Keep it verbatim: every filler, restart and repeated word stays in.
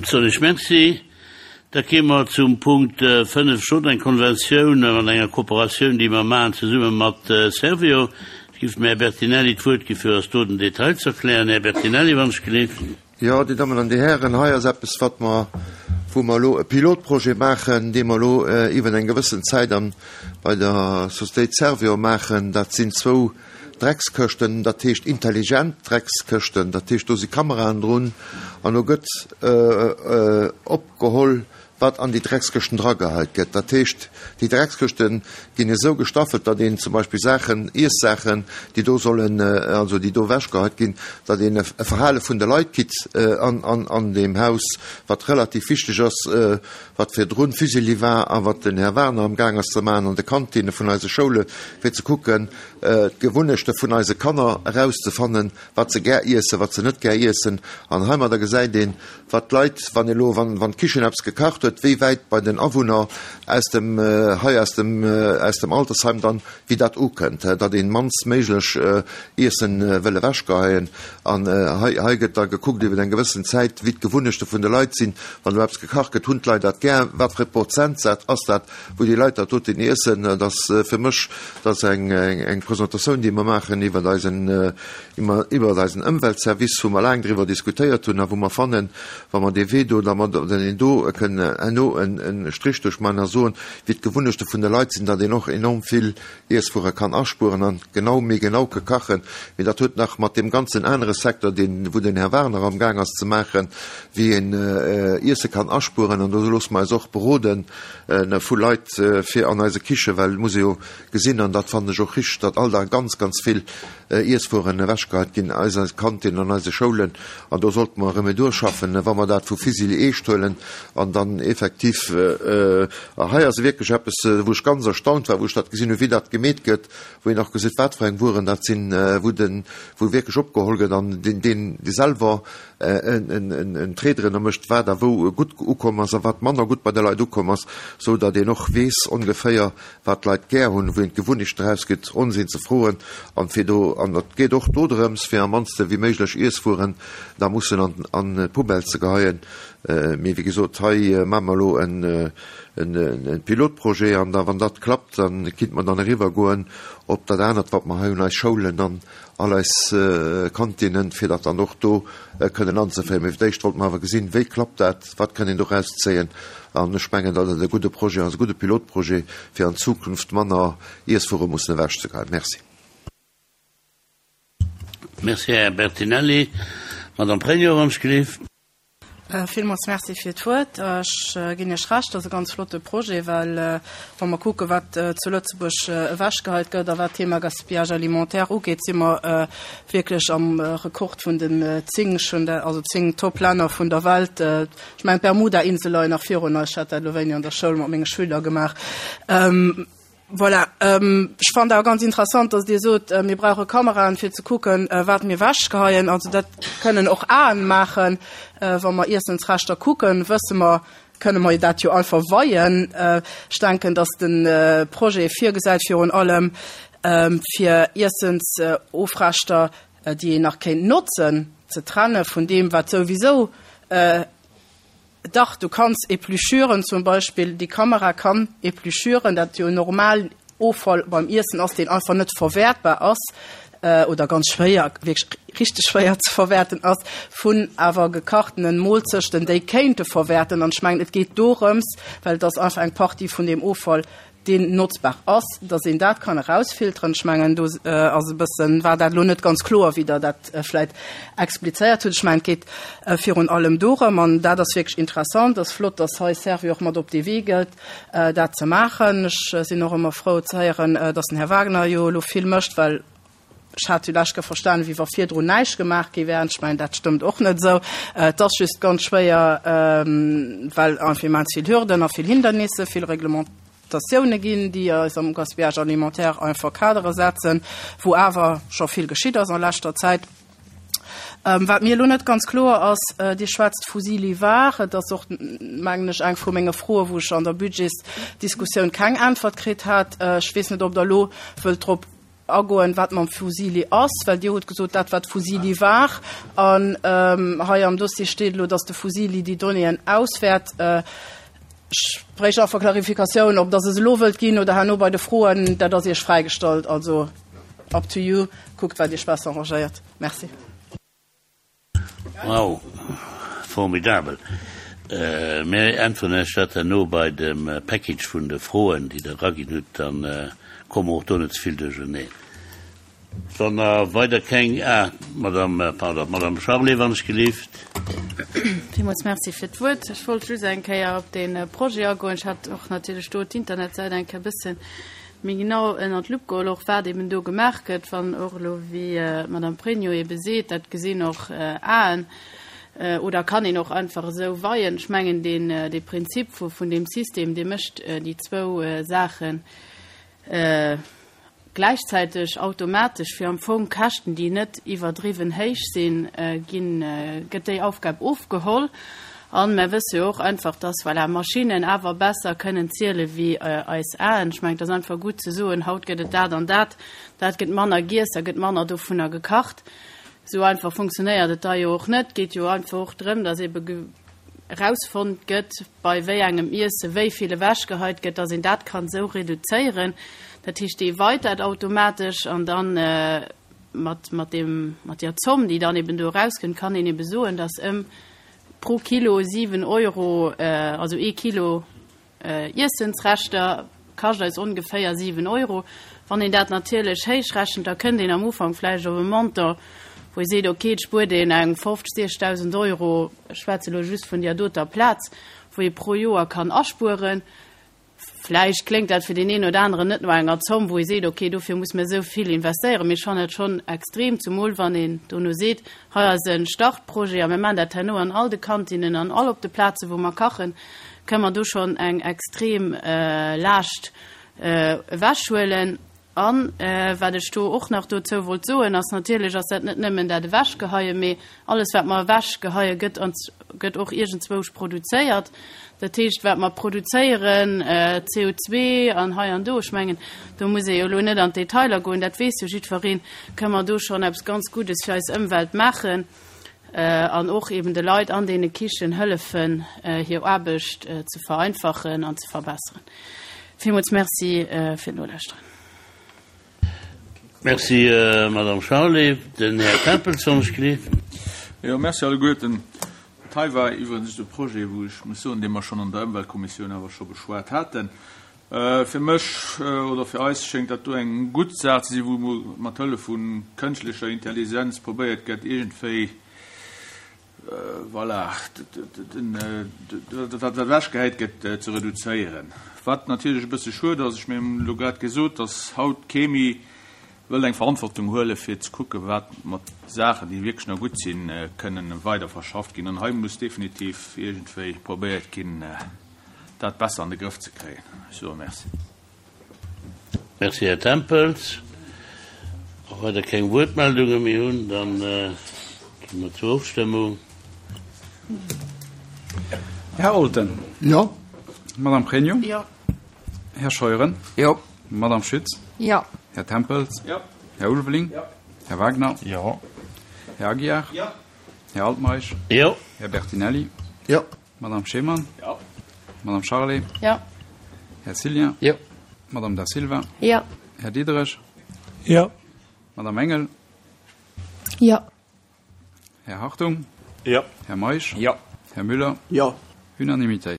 Soen ech Merci. Da kéime mer zum Punkt fënnef, schonn eng Konventioun an enger Kooperatioun, déi mer maachen zesumme mat Servior. Ech géif dem Här Bertinelli d'Wuert gi fir eis do den Detail ze erklären. Här Bertinelli, wann ech gelift. Jo, Dir Dammen an Dir Hären, hei ass eppes, wat mer, wou mer elo e Pilotprojet maachen, dee mer elo iwwer eng gewëssen Zäit an bei der Sociétéit Servior maachen. Dat sinn zwou Dreckskëschten, dat heescht intelligent Dreckskëschten, dat heescht do si Kameraen drun an do gëtt opgeholl, wat an déi Dreckskëschten drageheit gëtt. Dat heescht, déi Dreckskëschte ginn esou gestaffelt, datt een zum Beispill Saachen, Iessaachen, déi do sollen, also déi do ewechgeheit ginn, datt een e Verhale vun de Leit kritt an deem Haus, wat relativ wichteg ass, wat virdrun Fusilli war a wat den Här Werner amgaang ass ze maachen an de Kantinne vun eise Schoule fir ze kucken, d'Gewunnechte vun eise Kanner erauszefannen, wat se gär iessen, wat se net gär iessen. An heimadder gesäit een, wat d'Leit, wann elo, wann, wann d'Kichen eppes gekacht huet, wéi wäit bei den Awunner aus dem, hei aus dem, aus dem Altersheim dann, wéi dat ukënnt, datt een mannst méiglech Iessen wëll ewechgeheien. An hei, hei gëtt da gekuckt iwwer eng gewëssen Zäit, wéi d'Gewunnechte vun de Leit sinn. Wann elo eppes gekacht gëtt, hunn d'Leit dat gär? Wat fir e Prozentsaz ass dat, wou déi Leit dat doten iessen? Dat ass fir mech, dat ass eng, eng Presentatioun, déi mer maachen iwwer eisen, iwwer eisen Ëmweltservice, wou mer laang driwwer diskutéiert hunn a wou mer fannen, wa mer dee Wee do, da mer deen do kënnen herno en Strich duerchmaachen a soen, wéi d'Gewunnechte vun de Leit sinn, datt een och enorm vill Iesswuere kann aspueren an genau, méi genau ke kachen. Mee dat huet nach mat deem ganzen anere Secteur, deen, wou den Här Werner amgaang ass ze maachen, wéi een Iesse kann aspueren. An do loosse mer eis och beroden vu Leit fir an eise Kichen, well et muss ee jo gesinn, an dat fannen ech och richteg, datt all Dag ganz, ganz vill Iesswueren ewechgeheit ginn aus eise Kantinnen, an eise Schoulen. An do sollte mer Remedur schaffen, wa mer dat vu Fusilli eescht huelen an dann effektiv, a hei ass wierklech eppes, wou ech ganz erstaunt war, wou ech dat gesinn hunn, wéi dat gemeet gëtt, wou een och gesäit, wat fir eng Wueren dat sinn, wou den, wou wierklech opgeholl gëtt an deen, deen selwer en Trait drënner mécht, wat a wou gutt ukomm ass a wat manner gutt bei de Leit ukomm ass, sou datt een och weess ongeféier, wat d'Leit gär hunn, wou een d'Gewunnecht draus gëtt, Onsinn ze froen an fir do, an et geet och do drëms, fir am mannste wéi méiglech Iesswueren da mussen an an d'Poubelle ze geheien. Mee wéi gesot, hei maache mer elo en en Pilotprojet an da wann dat klappt, da kinnt mer dann eriwwer goen op dat anert, wat mer hei hunn, eis Schoulen an all eis Kantinnen, fir dat dann och do kënnen anzeféieren. Mee fir d'éischt wollte mer awer gesinn, wéi klappt dat, wat kann een doraus zéien. An ech mengen, datt et e gudde Projet ass, e gudde Pilotprojet, fir an Zukunft manner Iesswuere mussen ewechzegeheien. Merci. Merci, Här Bertinelli. Madame Pregno, wann ech gelift. Villmools Merci fir d'Wuert. Ech ginn Iech Recht, dat ass e ganz flotte Projet, well wa mer kucken, wat zu Lëtzebuerg ewechgeheit gëtt a wat d'Thema Gaspillage alimentaire ugeet, si mer wierklech am Rekord vun den zéng, also zéng Top-Länner vun der Welt. Ech mengen, d'Bermuda-Insel leien nach virun eis. Ech hat dat elo wéini an der Schoul mat menge Schüler gemaach. Voilà. Ech fannen awer ganz interessant, dass Dir sot, mir brauche Kameraen, fir ze kucken, wat mir ewechgeheien. Also dat kënnen och Aen maachen. Wa mer Iessensreschter kucken, wësse mer, kënne mer dat jo einfach weien. Ech denken, dass de Projet virgesäit virun allem, fir Iessensofreschter, déi een nach kéint notzen, ze trenne vun deem, wat souwisou Dach, du kanns épluchuren, zum Beispill déi Kamera kann épluchuren, dat jo normal Offall beim Iessen ass, deen einfach net verwäertbar ass oder ganz schwéier, wierklech richteg schwéier ze verwäerten ass, vun awer gekachtenen Moolzechten, déi kéinte verwäerten. An ech mengen, et geet dorëms, well et ass einfach eng Partie vun deem Offall, deen notzbar ass, dass een dat kann erausfilteren. Ech mengen, do ass e bëssen, war dat elo net ganz kloer, wéi Der dat vläicht explizéiert hutt. Ech mengen, et geet virun allem dorëm, an dat ass wierklech interessant, ass flott, dass hei Servior och mat op dee Wee gëtt, dat ze maachen. Ech sinn och ëmmer frou ze héieren, dass den Här Wagner jo elo vill mécht, well ech hat jo lech ge verstanen, wéi wa virdrun näischt gemaach gi wär. Ech mengen, dat stëmmt och net esou. Et ass just ganz schwéier, well einfach immens vill Hürden a vill Hindernisse, vill Reglementatioune ginn, déi eis am Gaspillage alimentaire einfach Kadere setzen, wou awer scho vill geschitt ass a leschter Zäit. Wat mir elo net ganz kloer ass, Dir schwätzt vu Silivar, et ass och, mengen ech, eng vu menge Froen, wou ech an der Budgetsdiskussioun keng Äntwert kritt hat. Ech weess net, ob Der elo wëllt drop agoen, wat mam Fusilli ass, well Dir hutt gesot, dat wat Fusilli war. An hei am Dossier steet elo, dass de Fusilli déi Donnéeën auswäert. Ech bréicht einfach Clarificatioun, ob Der se elo wëllt ginn oder herno bei de Froen, dat ass Iech fräigestallt. Also up to you, kuckt wat Iech besser arrangéiert. Merci. Wow, formidabel. Mir äntweren Iech dat herno bei dem Package vun de Froen, déi Der eraginn hutt, dann komme mer och do net ze vill duercherneen. Wann Der weider keng, ah, Madame, pardon, Madame Charlé, wann ech gelift. Villmools Merci fir d'Wuert. Ech wollt just eng Kéier op dee Projet agoen. Ech hat och natierlech do d'Internetsäit eng Kéier e bësse méi genau ënnert d'Lupp geholl, och wat eben do gemaach gëtt, wann och elo, wéi d'Madame Pregno ebe seet, dat gesinn och Aen oder kann een och einfach esou weien. Ech mengen, deen, dee Prinzip vu, vun deem System, dee mécht déi zwou Saachen gläichzäiteg automatesch, fir am Fong Käschten, déi net iwwerdriwwen héich sinn, ginn, gëtt déi Aufgab ofgeholl. A mer wësse jo och einfach, dass, voilà, Maschinnen awer besser kënnen ziele wéi eis Aen. Ech mengen, et ass einfach gutt ze soen, haut gëtt et dat an dat, dat gëtt manner giess, da gëtt manner dovunner gekacht. Esou einfach funktionéiert et da jo och net. Et geet jo einfach och drëm, dass ebe erausfonnt gëtt, bei wéi engem Iesse wéi vill ewechgeheit gëtt, dass een dat kann esou reduzéieren. Dat heescht, dee weit dat automatesch an dann mat, mat deem, mat deer Zomm, déi dann eben do erauskënnt, kann een ebe soen, dass ëm pro Kilo siwen Euro, also ee Kilo Iessensreschter kascht eis ongeféier siwen Euro. Wann een dat natierlech héichrechent, da kënnt een am Ufank vläicht op e Montant, wou ee seet, okay, et spuert een eng fofzeg, siechzegdausend Euro, ech schwätze elo just vun där doter Plaz, wou ee pro Joer kann aspueren. Vläicht kléngt dat fir deen een oder aneren net no enger Zomm, wou ee seet, okay, dofir muss mer esou vill investéieren, mee ech fannen dat schonn extrem, zumol wann een dono seet, hei ass e Startprojet a mir maachen dat herno an all de Kantinnen an all op de Plazen, wou mer kachen, kënne mer do schonn eng extrem Laascht ewechhuelen. A wat ech do och nach dozou wollt soen, ass, natierlech ass dat net nëmmen dat Ewechgeheien, mee alles, wat mer ewechgeheien, gëtt ans, gëtt och iergendzwousch produzéiert. Dat heescht, wat mer produzéieren, C O zwee an hei an do, ech mengen, do muss ee jo elo net an d'Detailer goen, dat weess jo jiddwereen, kënne mer do schonn eppes ganz Guddes fir eis Ëmwelt maachen an och eben de Leit an deene Kichen hëllefen, hir Aarbecht ze vereinfachen an ze verbesseren. Villmools Merci fir d'Nolauschteren. Merci, Madame Charlé. Den Här Tempels, wann ech gleef. Jo, merci alleguerten. Dat hei war iwwregens e Projet, wou ech muss soen, dee mer schonn an der Ëmweltkommissioun awer scho beschwat haten. Fir mech oder fir eis schéngt dat do eng gutt Saach ze sinn, wou mat Hëllef vu kënschtlecher Intelligenz probéiert gëtt, iergendwéi, voilà, dat wat ewechgehäit gëtt, ze reduzéieren. Wat natierlech e bësse schued ass, ech mengen, mir hunn elo grad gesot, dass haut kee méi wëllt eng Verantwortung huelen, fir ze kucken, wat mat Saachen, déi wierklech nach gutt sinn, kënnen weider verschafft ginn. An hei muss definitiv iergendwéi probéiert ginn, dat besser an de Grëff ze kréien. Ech soe Merci. Merci, Här Tempels. Wa weider keng Wuertmeldunge méi hunn, da gi mer zur Ofstëmmung. Här Olten. Jo. Madame Pregno. Jo. Här Scheuren. Jo. Madame Schütz. Jo. Här Tempels. Jo. Här Ulveling. Jo. Här Wagner. Jo. Här Aguiar. Jo. Här Altmeisch. Jo. Här Bertinelli. Jo. Madame Schemann. Jo. Madame Charlé. Jo. Här Cillien. Jo. Madame Da Silva. Jo. Här Diderich. Jo. Madame Engel. Jo. Här Hartung. Jo. Här Meisch. Jo. Här Müller. Jo. Unanimitéit.